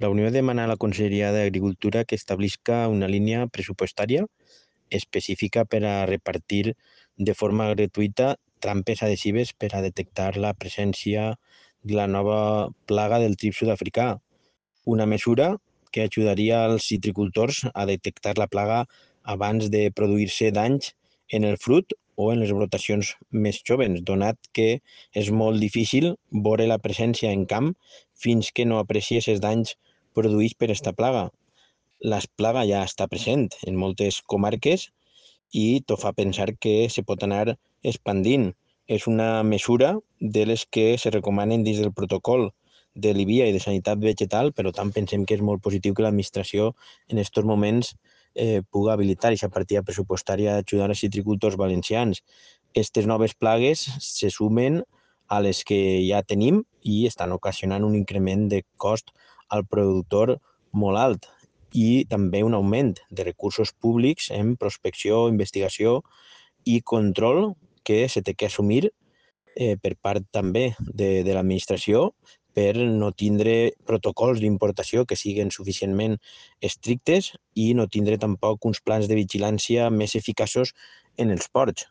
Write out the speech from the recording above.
La Unió demana a la Conselleria d'Agricultura que establisca una línia pressupostària específica per a repartir de forma gratuïta trampes adhesives per a detectar la presència de la nova plaga del trip sud-africà, una mesura que ajudaria als citricultors a detectar la plaga abans de produir-se danys en el fruit o en les brotacions més joves, donat que és molt difícil veure la presència en camp fins que no aprecies els danys produïts per esta plaga. La plaga ja està present en moltes comarques i tot fa pensar que se pot anar expandint. És una mesura de les que se recomanen dins del protocol de l'IVIA i de sanitat vegetal, però tant pensem que és molt positiu que l'administració en aquests moments pugui habilitar aquesta partida pressupostària d'ajudar als citricultors valencians. Aquestes noves plagues se sumen a les que ja tenim i estan ocasionant un increment de cost al productor molt alt i també un augment de recursos públics en prospecció, investigació i control que se té que assumir per part també de l'administració per no tindre protocols d'importació que siguin suficientment estrictes i no tindre tampoc uns plans de vigilància més eficaços en els ports.